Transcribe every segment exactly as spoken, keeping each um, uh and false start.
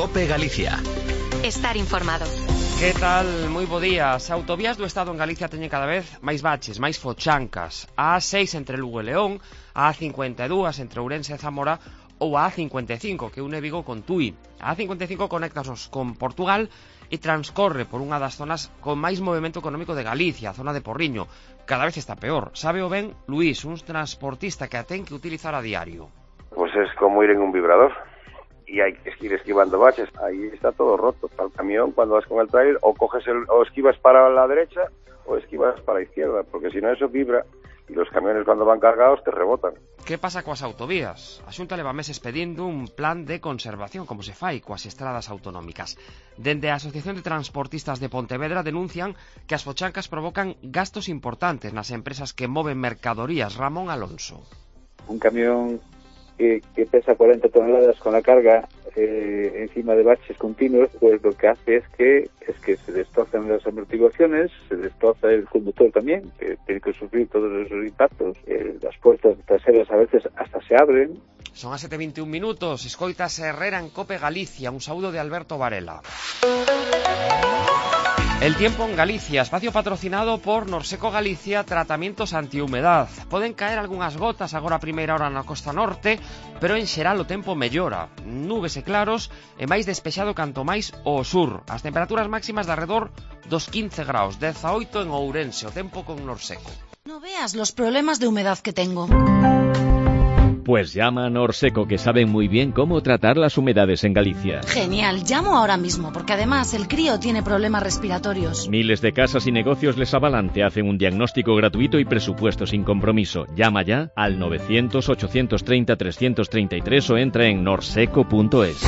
COPE Galicia. Estar informado. Que tal? Moi bo día. As autovías do Estado en Galicia teñen cada vez máis baches, máis fochancas. A A seis entre Lugo e León, a A cincuenta e dous entre Ourense e Zamora ou a A cincuenta e cinco que une Vigo con Tui. A A cincuenta e cinco conéctanos con Portugal e transcorre por unha das zonas con máis movimento económico de Galicia, a zona de Porriño. Cada vez está peor. Sabe o ben Luís, un transportista que a ten que utilizar a diario. Pues es como ir en un vibrador y hay que ir esquivando baches. Ahí está todo roto. Para el camión, cuando vas con el trailer, o coges el, o esquivas para la derecha o esquivas para la izquierda, porque si no eso vibra y los camiones cuando van cargados te rebotan. Que pasa coas autovías? A Xunta leva meses pedindo un plan de conservación, como se fai coas estradas autonómicas. Dende a Asociación de Transportistas de Pontevedra denuncian que as fochancas provocan gastos importantes nas empresas que moven mercadorías. Ramón Alonso. Un camión que, que pesa cuarenta toneladas con la carga eh, encima de baches continuos, pues lo que hace es que es que se destrozan las amortiguaciones, se destroza el conductor también, que tiene que sufrir todos esos impactos. Eh, las puertas traseras a veces hasta se abren. Son as sete e veintiún minutos. Escoitas Herrera en COPE Galicia. Un saúdo de Alberto Varela. El tiempo en Galicia, espacio patrocinado por Norseco Galicia, tratamientos antihumedad. Poden caer algunhas gotas agora a primeira hora na costa norte, pero en xeral o tempo mellora. Nubes e claros e máis despexado canto máis ao sur. As temperaturas máximas de arredor dos quince graus, dezaoito en Ourense, o tempo con Norseco. No veas los problemas de humedad que tengo. Pues llama a Norseco, que saben muy bien cómo tratar las humedades en Galicia. Genial, llamo ahora mismo, porque además el crío tiene problemas respiratorios. Miles de casas y negocios les avalan, te hacen un diagnóstico gratuito y presupuesto sin compromiso. Llama ya al novecientos, ochocientos treinta, trescientos treinta y tres o entra en norseco punto es.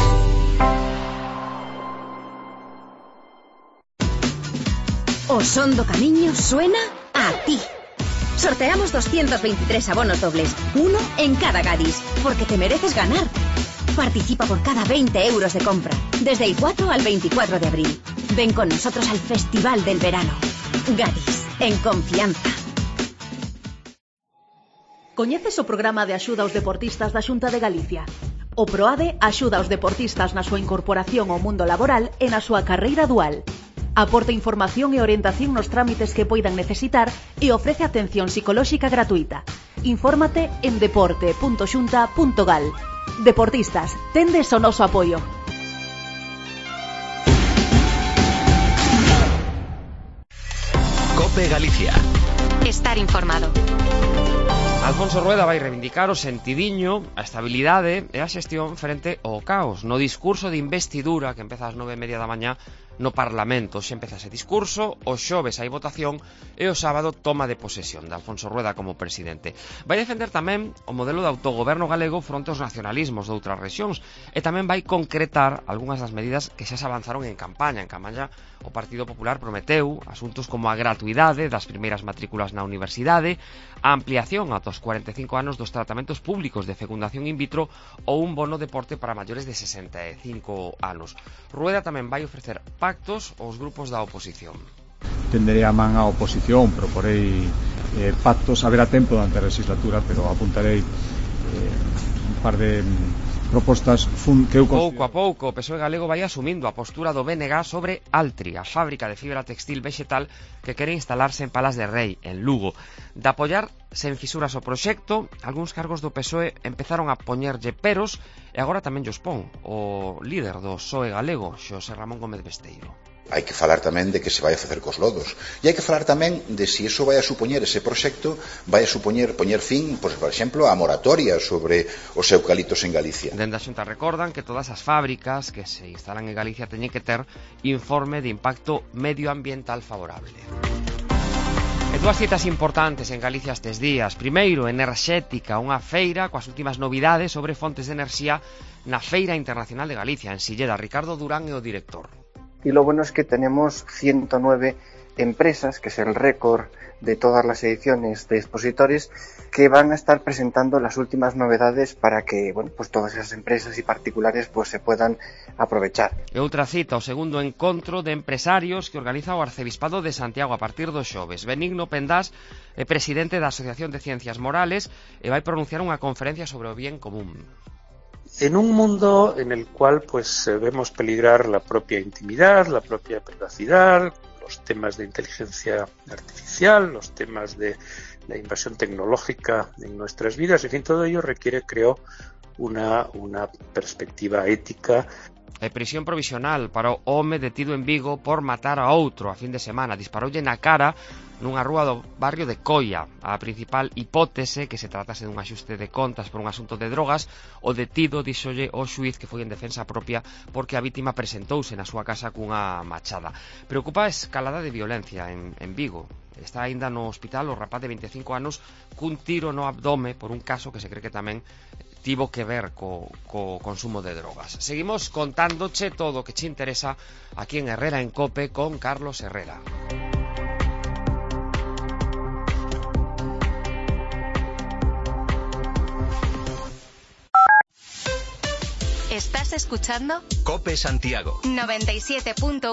O Son do Camiño suena a ti. Sorteamos doscientos veintitrés abonos dobles, uno en cada Gadis, porque te mereces ganar. Participa por cada veinte euros de compra, desde el cuatro al veinticuatro de abril. Ven con nosotros al Festival del Verano. Gadis, en confianza. Coñeces o programa de axuda aos deportistas da Xunta de Galicia? O PROADE axuda aos deportistas na súa incorporación ao mundo laboral e na súa carreira dual. Aporta información e orientación nos trámites que poidan necesitar e ofrece atención psicolóxica gratuita. Infórmate en deporte punto xunta punto gal. Deportistas, tendes o noso apoio. COPE Galicia. Estar informado. Alfonso Rueda vai reivindicar o sentidiño, a estabilidade e a xestión frente ao caos. No discurso de investidura que empeza ás nove e media da mañá no Parlamento. Xe empeza ese discurso, o xoves hai votación e o sábado toma de posesión de Alfonso Rueda como presidente. Vai defender tamén o modelo de autogoberno galego fronte aos nacionalismos de outras rexións e tamén vai concretar algunhas das medidas que xa se avanzaron en campaña. En campaña o Partido Popular prometeu asuntos como a gratuidade das primeiras matrículas na universidade, a ampliación ata os cuarenta e cinco anos dos tratamentos públicos de fecundación in vitro ou un bono deporte para maiores de sesenta e cinco anos. Rueda tamén vai ofrecer pactos aos grupos da oposición. Tenderei a man á oposición, proporei eh, pactos, haberá tempo durante a legislatura, pero apuntarei eh, un par de propostas fun, que eu considero... Pouco a pouco o P S O E galego vai asumindo a postura do B N G sobre Altri, a fábrica de fibra textil vegetal que quere instalarse en Palas de Rei, en Lugo. De apoiar sen fisuras o proxecto, algúns cargos do P S O E empezaron a poñerlle peros e agora tamén llos pon o líder do P S O E galego, Xosé Ramón Gómez Besteiro. Hai que falar tamén de que se vai a facer cos lodos e hai que falar tamén de se si iso vai a supoñer, ese proxecto vai a supoñer poñer fin, pois, por exemplo, a moratoria sobre os eucaliptos en Galicia. Dende a Xunta recordan que todas as fábricas que se instalan en Galicia teñen que ter informe de impacto medioambiental favorable. E dúas citas importantes en Galicia estes días. Primeiro, Enerxética, unha feira coas últimas novidades sobre fontes de enerxía na Feira Internacional de Galicia, en Silleda. Ricardo Durán é o director. Y lo bueno es que tenemos ciento nueve empresas, que es el récord de todas las ediciones de expositores, que van a estar presentando las últimas novedades para que, bueno, pues todas esas empresas y particulares pues se puedan aprovechar. E outra cita, o segundo encontro de empresarios que organiza o Arcebispado de Santiago a partir do xoves. Benigno Pendás é presidente da Asociación de Ciencias Morales e vai pronunciar unha conferencia sobre o bien común. en un mundo en el cual pues vemos peligrar la propia intimidad, la propia privacidad, los temas de inteligencia artificial, los temas de la invasión tecnológica en nuestras vidas, en fin, todo ello requiere, creo, una, una perspectiva ética. E prisión provisional para o home detido en Vigo por matar a outro a fin de semana. Disparoulle na cara nunha rúa do barrio de Coia. A principal hipótese que se tratase dun axuste de contas por un asunto de drogas. O detido díxolle ao xuiz que foi en defensa propia porque a vítima presentouse na súa casa cunha machada. Preocupa a escalada de violencia en, en Vigo. Está aínda no hospital o rapaz de vinte e cinco anos cun tiro no abdome por un caso que se cree que tamén tivo que ver co, co consumo de drogas. Seguimos contándoche todo o que che interesa aquí en Herrera en Cope con Carlos Herrera. ¿Estás escuchando? Cope Santiago noventa y siete punto